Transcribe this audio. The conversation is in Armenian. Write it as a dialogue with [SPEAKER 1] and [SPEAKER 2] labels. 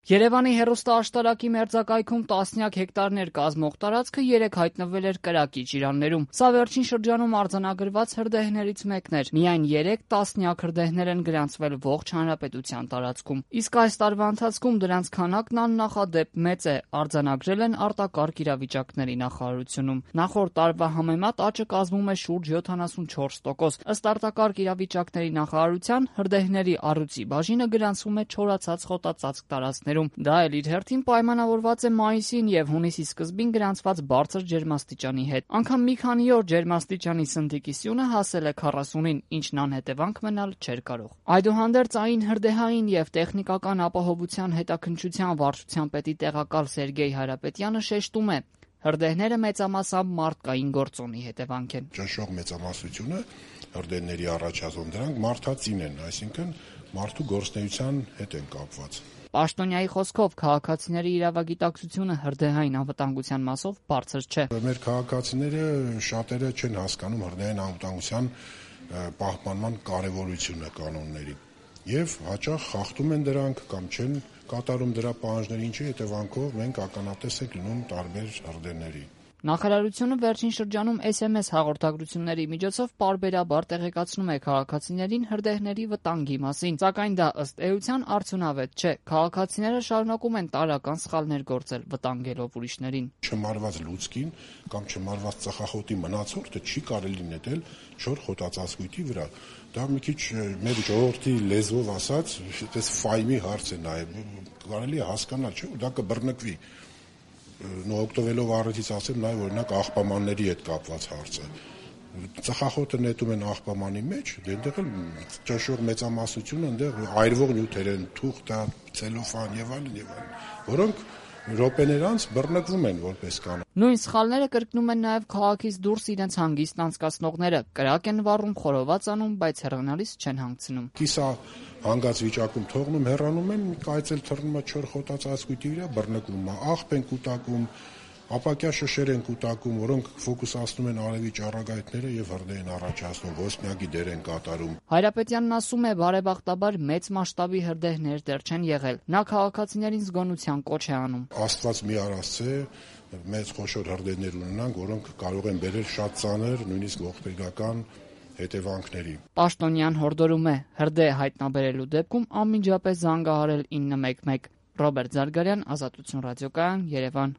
[SPEAKER 1] Երևանի հեռուստաաշտարակի մերձակայքում տասնյակ հեկտարներ կազմող տարածքը երեկ հայտնվել էր կրակի ճիրաններում։ Սա վերջին շրջանում արձանագրված հրդեհներից մեկն էր։ Միայն 3 տասնյակ հրդեհներ են գրանցվել ողջ հանրապետության տարածքում։ Իսկ այս տարվա ընթացքում դրանց քանակն աննախադեպ մեծ է, արձանագրել են արտակարգ իրավիճակների նախարարությունում։ Նախորդ տարվա համեմատ աճը կազմում է շուրջ 74%։ Ըստ արտակարգ իրավիճակների նախարարության, հրդեհների առյուծի բաժինը գրանցվում է չորացած խոտածածկ տարածքներում։ Դա էլ իր հերթին պայմանավորված է մայիսին եւ հունիսի սկզբին գրանցված բարձր ջերմաստիճանի հետ։ Անգամ մի քանի օր ջերմաստիճանի սնդիկի սյունը հասել է 40-ին, ինչն անհետևանք մնալ չէր կարող։ Այդուհանդերձ այն հրդեհային եւ տեխնիկական ապահովության հետաքննչության վարչության պետի տեղակալ Սերգեյ Հարապետյանը շեշտում է. հրդեհները մեծամասամբ մարդկային գործոնի հետևանք են։
[SPEAKER 2] Ճնշող մեծամասնությունը հրդեհների առաջացում դրանք մարդածին են, այսինքն մարդու գործունեության հետ են կապված։
[SPEAKER 1] Պաշտոնյայի խոսքով քաղաքացիների իրավագիտակցությունը հրդեհային անվտանգության մասով բարձր չէ։
[SPEAKER 2] Մեր քաղաքացիները շատերը չեն հասկանում հրդեհային անվտանգության պահպանման կարևորությունը կանոնների եւ հաճախ խախտում են դրանք կամ չեն կատարում դրա պահանջները, ինչի հետևանքով մենք ականատես ենք լինում տարբեր հրդեհների։
[SPEAKER 1] Նախարարությունը վերջին շրջանում SMS հաղորդագրությունների միջոցով պարբերաբար տեղեկացնում է քաղաքացիներին հրդեհների վտանգի մասին, սակայն դա ըստ էության արդյունավետ չէ։ Քաղաքացիները շարունակում են տարրական սխալներ գործել, վտանգելով ուրիշներին։
[SPEAKER 2] Չմարված լուցկին կամ չմարված ծխախոտի մնացորդը չի կարելի նետել չոր խոտածածկույթի վրա։ Դա մի քիչ մեր ժողովրդի լեզվով ասած, այդպես ֆայմի հարց է նաև, կարելի է հասկանալ, չէ՞, դա կբռնկվի։ Օգտվելով առիթից ասեմ նաև օրինակ աղբամանների հետ կապված հարցը։ Ծխախոտը նետում են աղբամանի մեջ, այնտեղ էլ ճնշող մեծամասնությունը այնտեղ այրվող նյութեր են, թուղթ, ցելոֆան եւ այլն, որոնք րոպեներ անց բռնկվում են որպես կանոն։
[SPEAKER 1] Նույն սխալները կրկնում են նաև քաղաքից դուրս իրենց հանգիստն անցկացնողները։ Կրակ են վառում, խորոված անում, բայց հեռանալիս չեն հանգցնում։
[SPEAKER 2] Կիսա հանգած վիճակում թողնում, հեռանում են, կայծել թռնում է չոր խոտածածկույթի վրա, բռնկվում է, աղբ են կուտակում, ապակյա շշեր են կուտակում, որոնք ֆոկուսացնում են արևի ճառագայթները եւ հրդեհ են առաջացնում, ոսպնյակի դեր են կատարում։
[SPEAKER 1] Հայրապետյանն ասում է, բարեբախտաբար մեծ մասշտաբի հրդեհներ դեռ չեն եղել։ Նա քաղաքացիներին զգոնության կոչ է անում։
[SPEAKER 2] Աստված մի արասցե մեծ խոշոր հրդեհներ ունենանք, որոնք կարող են բերել շատ ծանր, նույնիսկ ողբերգական հետևանքների։
[SPEAKER 1] Պաշտոնյան հորդորում է հրդեհ հայտնաբերելու դեպքում անմիջապես զանգահարել 911։ Ռոբերտ Զարգարյան, Ազատություն ռադիոկայան, Երևան։